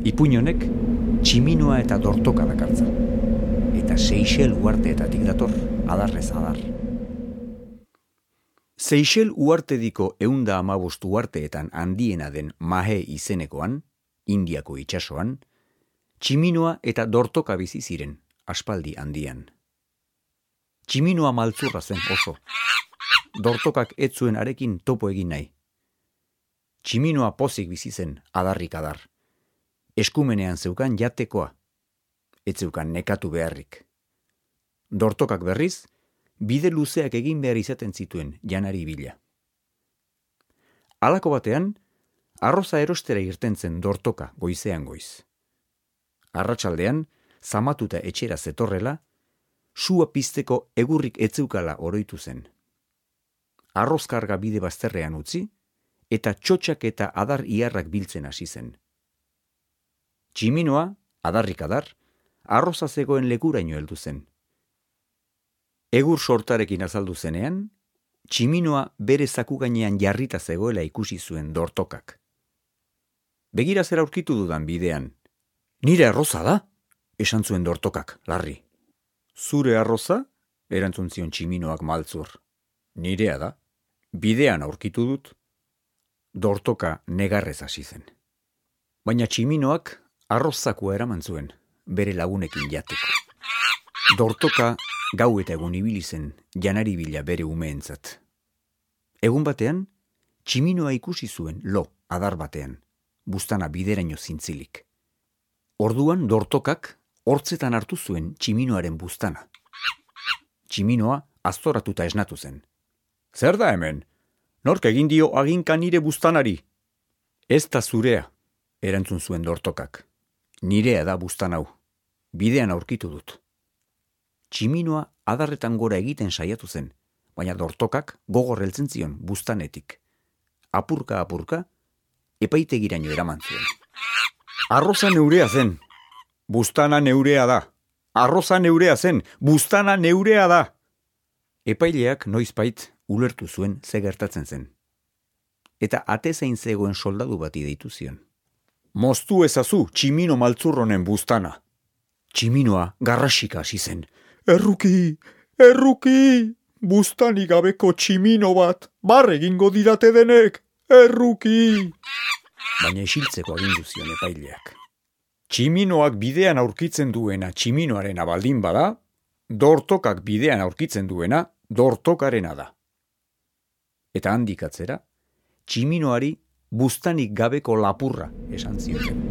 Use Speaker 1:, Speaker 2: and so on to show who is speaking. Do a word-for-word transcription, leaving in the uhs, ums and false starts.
Speaker 1: Ipuin honek tximinoa eta dortoka dakartza. Eta Seychel uharteetatik dator, adarrez adar. Seychel uhartediko ehunda hamabost uharteetan handiena den Mahe izenekoan, Indiako itsasoan, tximinoa eta dortoka bizi ziren, aspaldi handian. Tximinoa maltzurra zen oso. Dortokak ez zuen arekin topo egin nahi. Tximinoa pozik bizi zen, adarrik adar. Eskumenean zeukan jatekoa. Ez zeukan nekatu beharrik. Dortokak berriz, bide luzeak egin behar izaten zituen janari bila. Halako batean, arroza erostera irten zen dortoka goizean goiz. Arratsaldean, zamatuta etxera zetorrela, sua pizteko egurrik etzeukala oroitu zen. Arrozkarga bide bazterrean utzi, eta txotxak eta adar iarrak biltzen hasi zen. Tximinoa, adarrik adar, arroza zegoen lekuraino heldu zen. Egur sortarekin azaldu zenean, tximinoa bere zaku gainean jarrita zegoela ikusi zuen dortokak. Begira zer aurkitu dudan bidean. Nire arroza da, esan zuen dortokak, larri. Zure arroza? Erantzun zion tximinoak maltzur. Nirea da, bidean aurkitu dut. Dortoka negarrez hasi zen. Baina tximinoak arrozakua eraman zuen, bere lagunekin jateko. Dortoka gau eta egun ibili zen janari bila bere umeentzat. Egun batean, tximinoa ikusi zuen lo adar batean, buztana bideraino zintzilik. Orduan dortokak hortzetan hartu zuen tximinoaren buztana. Tximinoa aztoratuta esnatu zen. Zer da hemen? Nork egin dio aginka nire buztanari? Ez da zurea, erantzun zuen dortokak. Nirea da buztan hau. Bidean aurkitu dut. Tximinoa adarretan gora egiten saiatu zen, baina dortokak gogor heltzen zion buztanetik. Apurka apurka, epaitegiraino eraman zuen. Arroza neurea zen. Buztana neurea da. Arroza neurea zen. Buztana neurea da. Epaileak noizbait ulertu zuen ze gertatzen zen. Eta atezain zegoen soldadu bati deitu zion. Moztu ezazu tximino maltzurronen buztana. Tximinoa garrasika hasi zen. Erruki, erruki, buztanik gabeko tximino bat, barre egingo didate denek, erruki. Baina isiltzeko agindu zion epaileak. Tximinoak bidean aurkitzen duena tximinoarena baldin bada, dortokak bidean aurkitzen duena dortokarena da. Eta handik atzera, tximinoari buztanik gabeko lapurra esan zioten.